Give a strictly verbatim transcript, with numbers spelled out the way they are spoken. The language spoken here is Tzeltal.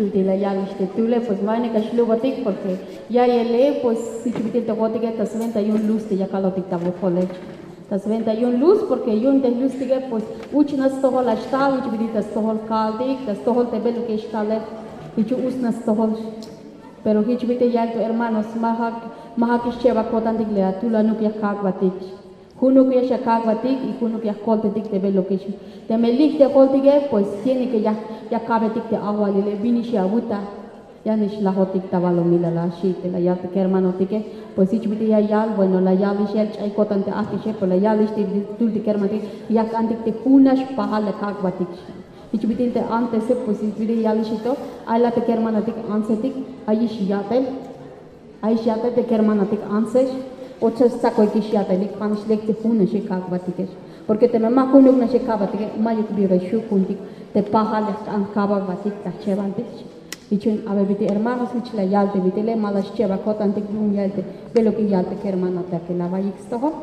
Te la yalix te tule, pues ma yu'un ya xlubotik, porque ya yele, pues jich bit'il te jojotike ta swenta yu'un luz te ya kalotik ta wokole. Ta swenta yu'un luz, porque yu'un te luztike pues uch nax stojol ya xtal, jich bit'il ta stojol kaltik, ta stojol te beluk ya xtale, jich uch nax stojol. Pero jich bit'il ya yal to hermanos, ma ja, ma ja k'ixchebal ko'tantik le atule, junuk ya kak'batik. Junuk ya xakak'batik y junuk ya jkoltetik te beluk ya xi. Teme lik te joltike, pues tiene que ya, ya ka'betik te ajwalile, bin ix ya awuta, ya nix lajotik ta balumilal a xi te la yal te kermanotike. Pues jich bit'il ya yal, bueno, la yalix ya ch'ay ko'tan te ajk'ixe, pues la yalix te tul te kermanotike, yak antik te jun nax pajal ya kak'batik. Jich bit'il te antese, pues jich bit'il ya yalix to, ay la te kermanotik antsetik, ayix ya'tel. Ay xya'tel te kermanotik antsex, o cheb stsakoyikix ya'telik, ja' nix lek te jun naxe kak'batikex. Porque teme ma junuk naxe kak'batike, ma'yuk bi ya xju' juntik te pajal ya jk'an kabajbatik ta jchebantik. Jich yu'un a ver bit'il hermanos, jich la yal te bit'ile, ma la xchebal ko'tantik yu'un ya'el te beluk ya yal te kermanotik, que la awaiyik stojol.